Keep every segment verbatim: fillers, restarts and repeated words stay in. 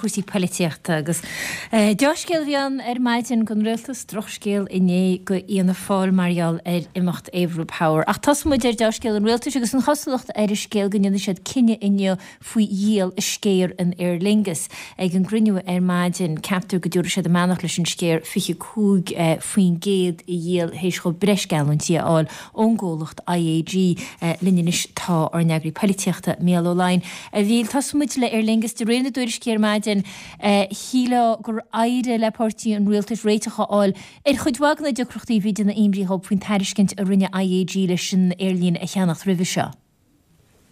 cúrsaí polaitíochta agus dea-scéal a bhí ann ar maidin don rialtas, drochscéal inné do Fhianna Fáil mar gheall ar imeacht Averil Power. Ach tosóidh muid ar dea-scéal an rialtais agus an chosúlacht ar an scéal go ndéanfaidh siad cinneadh inniu faoi dhíol a sciar in Aer Lingus. Ag an gcruinniú ar maidin, ceaptar go dtabharfaidh siad a mbeannacht leis an sciar fiche cúig faoin gcéad a dhíol théis dhóibh breis geallúintí a fháil ón gcomhlacht I A G. Linn anois tá ár n-eagraí polaitíochta, Mícheál Ó Laighin. A Mhíchíl, tosóidh muid le Aer Lingus. De réir na dtuairiscí ar maidin, shílfeá gur éirigh le páirtí an rialtais réiteach a fháil ar chuid mhaith de na deacrachtaí a bhí ag déanamh imní dhóibh faoin tairiscint a rinne I A G leis an aerlíne a cheannacht roimhe seo.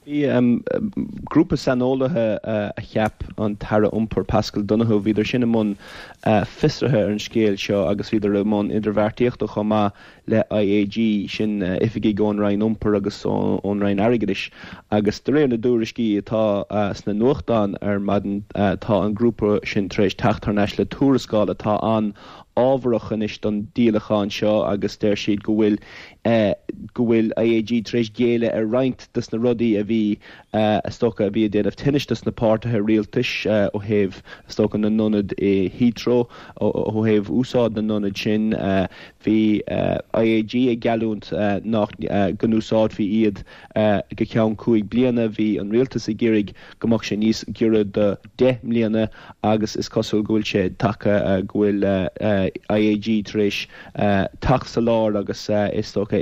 Bhí grúpa saineolaithe a cheap an tAire Iompair Paschal Donohoe, bhíodar sin i mbun fiosraithe ar an scéal seo agus bhíodar i mbun idirbheartaíochta chomh maith le I A G, sin oifigigh ón Roinn Iompair agus ón Roinn Airgeadais. Agus de réir na dtuairiscí atá sna nuachtáin ar maidin, tá an grúpa sin tar éis teacht thar n-ais le tuarascáil atá an-fhábharach anois don díolachán seo agus deir siad go bhfuil go bhfuil I A G tar éis géilleadh ar roinnt de na rudaí a bhí is dócha a bhí ag déanamh tinnis dos na páirtithe rialtais ó thaobh is dócha na n-ionad i Heathrow, ó thaobh úsáid na n-ionad sin. Bhí I A G ag geallúint nach go n-úsáidfí iad go ceann cúig bliana. Bhí an rialtas ag iarraidh go mbeadh sé níos giorra do deich mbliana agus is cosúil go bhfuil sé tagtha go bhfuil I A G tar éis teacht sa lár agus is dócha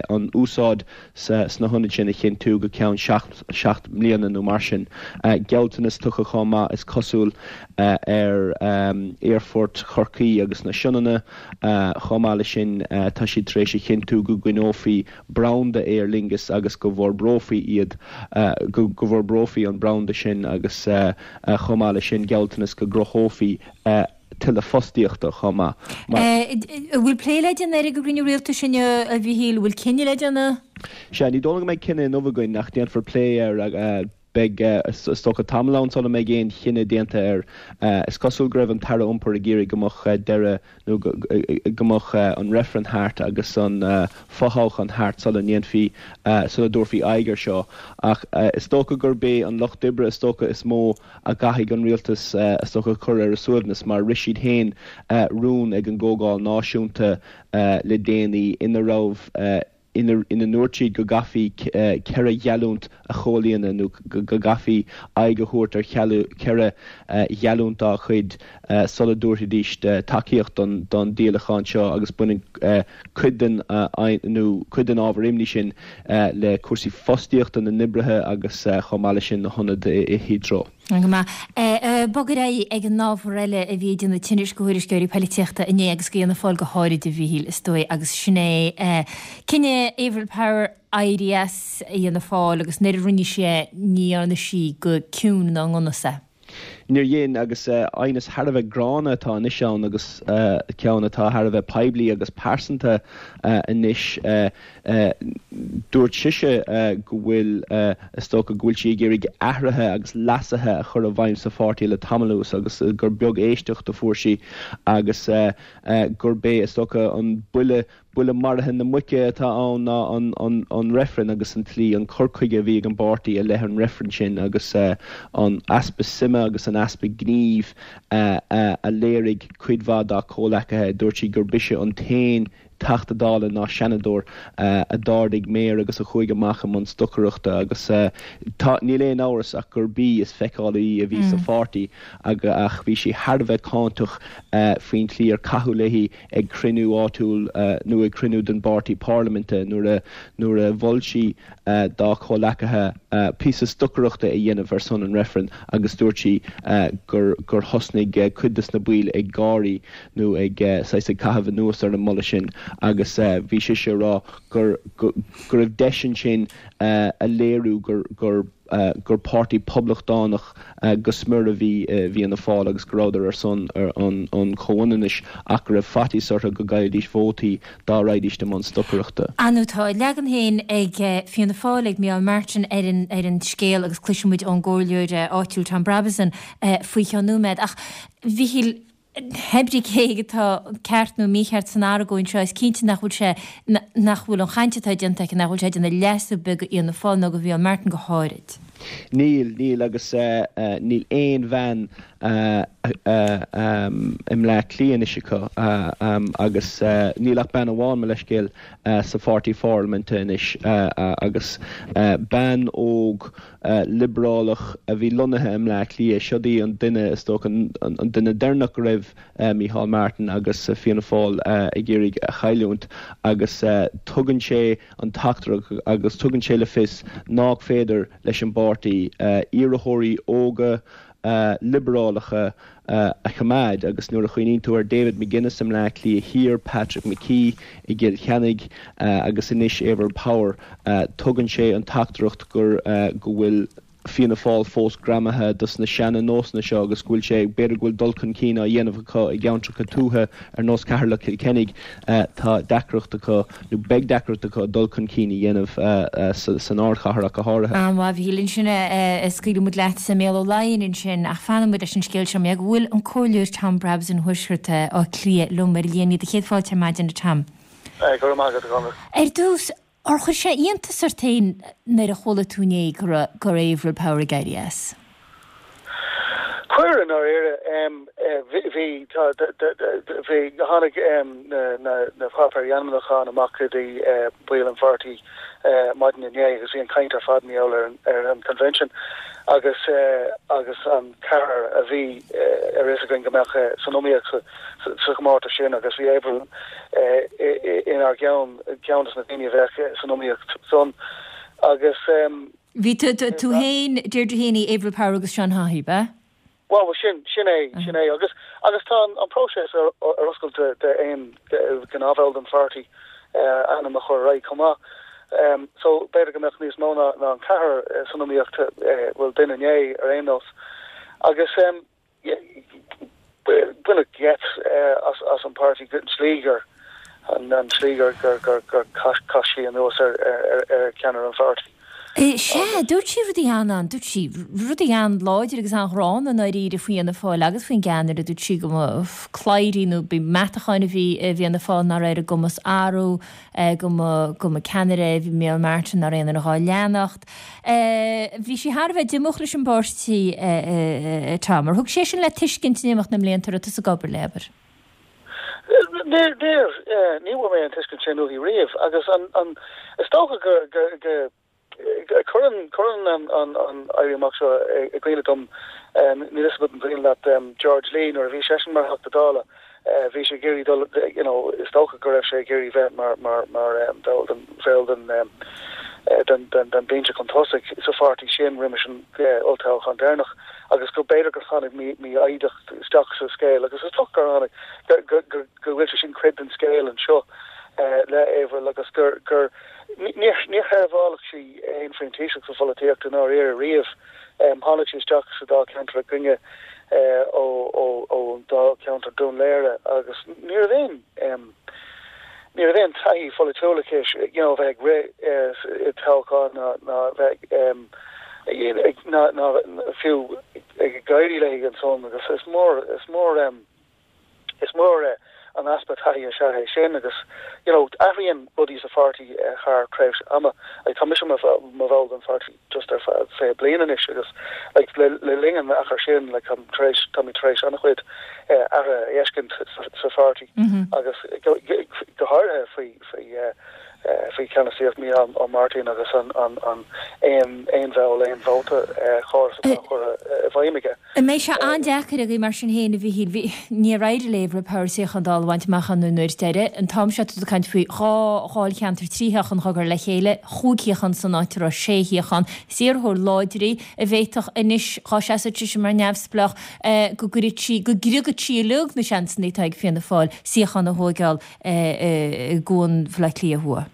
an úsáid sna hionaid sin a chinntiú go ceann seacht mbliana nó mar sin. Gealltanas tugtha chomh maith, is cosúil, ar Aerfort Chorcaí agus na Sionainne. Chomh maith leis sin, tá siad tar éis a chinntiú go gcoinneofaí branda Aer Lingus agus go bhforbrófaí iad, go bhforbrófaí an branda sin agus chomh maith leis sin gealltanas go gcruthófaí tuilleadh fostaíochta chomh maith. An bhfuil plé le déanamh air ag an gcruinniú rialtais inniu, a Mhíchíl? An bhfuil cinneadh le déanamh? Sea, ní dóigh liom go mbeidh cinneadh inniu againn ach déanfar plé air. Beidh, is dócha, tamall ann sula mbeidh aon chinneadh déanta air. Is cosúil go raibh an tAire Iompair ag iarraidh go mbeadh deireadh nó go mbeadh an reifreann thart agus an fothoghchán thart sula ndéanfaí, sula dtabharfaí aghaidh air seo. Ach is dócha gurb é an Lucht Oibre is dócha is mó a gcaithfidh an rialtas is dócha a chur ar a suaimhneas mar rith siad féin rún ag an gComhdháil Náisiúnta le déanaí ina raibh ina ndúirt siad go gcaithfí ceithre gheallúint a chomhlíonadh nó go gcaithfí aghaidh a thabhairt ar cheithre gheallúint dá chuid sula dtabharfaidís tacaíocht don díolachán seo agus baineann cuid den nó cuid den ábhar imní sin le cúrsaí fostaíochta na n-oibrithe agus chomh maith leis sin na hionaid i Heathrow. Go maith. Bog ar aghaidh ag an ábhar eile a bhí ag déanamh tinnis do thuairisceoirí polaitíochta inné agus do Fhianna Fáil go háirid, a Mhíchíl, is dóigh, agus sin é cinneadh Averil Power éirí as Fhianna Fáil agus nuair a rinne sí é ní dhearna sí go ciúin ná i ndonas é. Níor dhein, agus aighneas thar a bheith gránna atá anois ann agus ceann atá thar a bheith poiblí agus pearsanta anois. Dúirt sise go bhfuil, is dócha, go bhfuil sí ag iarraidh athruithe agus leasuithe a chur i bhfeidhm sa pháirtí le tamall anuas agus gur beag éisteacht a fuair sí agus gurb é, is dócha, an buille Buille maraithe na muice atá ann ná an reifreann agus an tslí, an cur chuige a bhí ag an bpáirtí i leith an reifrinn sin agus an easpa suime agus an easpa gnímh a léirigh cuid mhaith dá comhleacaithe. Dúirt sí gurb ise an t-aon Teachta Dála ná Seanadóir a d'ardaigh méar agus a chuaigh amach i mbun stocaireachta agus tá, níl aon amhras ach gurb í is feiceálaí a bhí sa pháirtí ach bhí sí thar a bheith cáinteach faoin tslí ar caitheadh léi ag cruinniú áitiúil nó ag cruinniú den bpáirtí parlaiminte nuair a nuair a mhol sí dá comhleacaithe píosa stocaireachta a dhéanamh ar son an reifrinn agus dúirt sí gur gur thosnaigh cuid de na baill ag gáirí nó ag saghas ag caitheamh anuas ar an moladh sin agus bhí sise ag rá gur go raibh deis ansin a léiriú gur gur gur páirtí poblachtánach go smior a bhí i bhFianna Fáil agus go rabhadar ar son an chomhionannais ach go raibh faitíos orthu go gcaillfidís vótaí dá raghaidís i mbun stocaireachta. Ar ndóigh, tá a leagan féin ag Fianna Fáil, ag Micheál Martin ar an ar an scéal agus cloisfidh muid ón gcomhairleoir áitiúil Tom Brabazon faoi cheann nóiméad. Ach, a Mhíchíl, pé brí cé atá ceart nó mícheart san argóint seo, is cinnte nach bhfuil sé, nach bhfuil an chaint atá déanta aici, nach bhfuil sé ag déanamh leas ar bith do Fhianna Fáil nó do Mhicheál Martin go háirid. Níl, níl agus níl aon bhean i mBleá Cliath anois acu agus níl ach bean amháin, mo leithscéal, sa pháirtí pharlaiminte anois agus bean óg liobrálach a bhí lonnaithe i mBleá Cliath. Siod í an duine, is dócha, an duine deireanach go raibh Micheál Martin agus Fianna Fáil ag iarraidh a chailliúint agus tugann sé an teachtaireacht agus tugann sé le fios nach féidir leis an bpáirtí iarrthóirí óga liobrálacha a choimeád agus nuair a chuimhníonn tú ar David McGuinness i mBleá Cliath Thiar, Patrick McKee i gCill Chainnigh agus anois Avril Power, tugann sé an teachtaireacht gur go bhfuil Fianna Fáil fós greamaithe dos na seana nósanna seo agus go bhfuil sé, b'fhéidir go bhfuil dul chun cinn á dhéanamh acu i gceantracha tuaithe ar nós Ceatharlach Cill Chainnigh, tá deacracht acu nó beidh deacracht acu dul chun cinn a dhéanamh san ardchathair ach go háirithe. An-mhaith, a Mhíchíl. Ansin scaoilfidh muid leat sa Mhéal Ó Laighin ansin ach fanfaidh muid leis an scéal seo mar go bhfuil an Comhairleoir Tom Brabbs in Thuaisceart Átha Cliath liom ar an líne. Do chéad fáilte ar maidin, a Tom. Go raibh maith agat, a Chonradh. Ar dtús, ar chuir sé iontas ort féin nuair a chuala tú inné go raibh go raibh Avril Power ag éirí as? Chuir, i ndáiríre. Bhí, tá, bhí, tháinig na, na, na páipéirí ainmniúcháin amach go dtí baill an pháirtí maidin inné agus bhí an chaint ar fad mar gheall ar an, ar an convention agus, agus an ceathrar a bhí ar fhios againn go mbeadh san iomaíocht sa, sa chomórtas sin agus bhí Avril inár gceann, ceann de na daoine a bheadh san iomaíocht san agus. Bhí tú tú féin, Deirdre Heaney, Avril Power agus Seán Haughey, b'ea? Bhuel, sin, sin é, sin é agus agus tá an próiseas ar ar oscailt d'aon ghnáthbhall den pháirtí ainm a chur ar aghaidh chomh maith. So b'fhéidir go mbeadh níos mó ná ná an ceathrar san iomaíocht, bhuel duine inné ar aon nós. Agus baineadh geit as as an páirtí an tslí gur an an tslí gur gur gur gur chaith sí anuas ar ar ar ceannaire an pháirtí. Sea, dúirt sí rudaí an-, dúirt sí rudaí an-láidir agus an-ghránna i ndáiríre faoi Fhianna Fáil agus faoin gceannaire, dúirt sí go mba cladhairí nó ba meatacháin a bhí i bhFianna Fáil nach raibh ar a gcumas athrú, go mba go mba ceannaire é Micheál Martin nach raibh aon duine dhá leanacht. Bhí sí thar a bheith díomách leis an bpáirtí, Tom. Ar thug sé sin le tuiscint in imeacht na mblianta a raibh tusa ag obair léi, abair? Níor, níor, ní bhfuair mé an tuiscint sin uaithi riamh agus an, an, is dócha gur, gur, gur, cuireann, cuireann an, an, an éirí amach seo i gcuimhne dom, níl a fhios agat an cuimhin leat George Lee nuair a bhí seisean mar Theachta Dála, bhí sé ag iarraidh dul, you know, is dócha go raibh sé ag iarraidh bheith mar, mar, mar bhall den, bhall den, den, den, den binse chun tosaigh sa pháirtí sin roimis an olltoghchán deireanach agus go b'fhéidir gur tháinig mífhoighdeacht isteach sa scéal agus is dócha gur tháinig, go, go, go, go bhfuil sé sin cuid den scéal anseo le Avril agus gur, gur, níor, níor sheirbheáil sí aon phrintíseach sa pholaitíocht i ndáiríre riamh. Tháinig sí isteach sa dáilcheantar againne ó, ó, ón dáilcheantar Dún Laoghaire agus ní raibh aon, ní raibh aon taithí pholaitiúil aici, you know, bheith ag rith i dtoghchán ná, ná bheith ag, ná, ná fiú ag éirí léi ansan agus is mór, is mór, is mór an easpa taithí is ea é sin agus you know athraíonn rudaí sa pháirtí thar tréimhse ama. Like tá mise i mo bhall den pháirtí just ar feadh fiche bliain anois agus like le le linn an achair sin like táim tar éis táimid tar éis an-chuid athruithe a fheiscint sa pháirtí agus go go háirithe faoi faoi faoi cheannasaíocht Mícheál Ó Máirtín agus an an an aon aon bhall aon vóta chóras atá curtha i bhfeidhm aige. An mbeidh sé an-deacair agaibh mar sin féin, a Mhíchíl? Bhí, níor éirigh le Avril Power suíochán Dála a bhaint amach an uair deiridh. An t-am seo tá tú ag caint faoi dhá dháilcheantar trí shuíochán á gcur le chéile, chúig shuíochán san áit a raibh sé shuíochán. Is iarrthóir láidir í a bhféadfadh anois, dhá seasfadh sise mar neamhspleách, go gcuirfeadh sí, go gcriogfadh sí uilig na seansanna atá ag Fianna Fáil suíochán a thóigeáil i gCuan Bhaile Átha Cliath Thuaidh.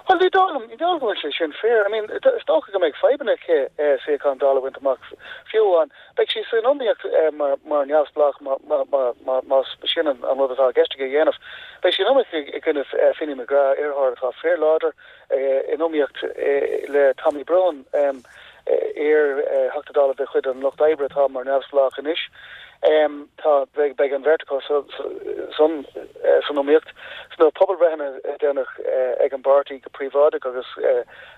Bhuel, ní dóigh liom, ní dóigh liom go bhfuil sé sin fíor. I mean, is dócha go mbeidh fadhbanna aici suíochán Dála a bhaint amach fiú amháin. Beidh sí san iomaíocht mar, mar neamhspleách má, má, má, má, más sin an, an rud atá i gceist aici a dhéanamh. Beidh sí in iomaíocht i, i gcoinne Finny McGrath, iarrthóir atá fíorláidir, in iomaíocht le Tommy Broughan, iar-Theachta Dála de chuid an Lucht Oibre atá mar neamhspleách anois. Tá, beidh, beidh an bheirt acu san, san iomaíocht. Sna pobalbhreitheanna a déanadh ag an bpáirtí go príobháideach agus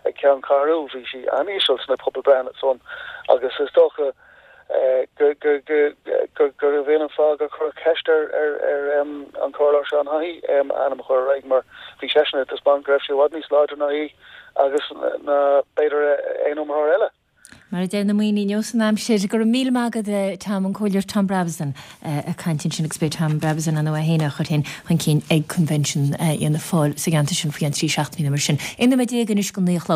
ag ceanncheathrú, bhí sí an-íseal sna pobalbhreitheanna san agus is dócha Gurbh é an fáth gur cuireadh ceist ar ar an Comhairleoir Seán Haughey a ainm a chur ar aghaidh mar bhí seisean ag taispeáint go raibh sé i bhfad níos láidre ná í agus ná b'fhéidir aon iomaitheoir eile. Mar a deir na ndaoine inniu san aimsir, go raibh míle maith agat Tom, an Comhairleoir Tom Brabazon ag caint ansin agus beidh Tom Brabazon ann é féin á chur féin chun cinn ag Convention Fhianna Fáil sa gceantar sin faoi cheann trí seachtainí nó mar sin. Aon nóiméad déag anois go naoi a chlog.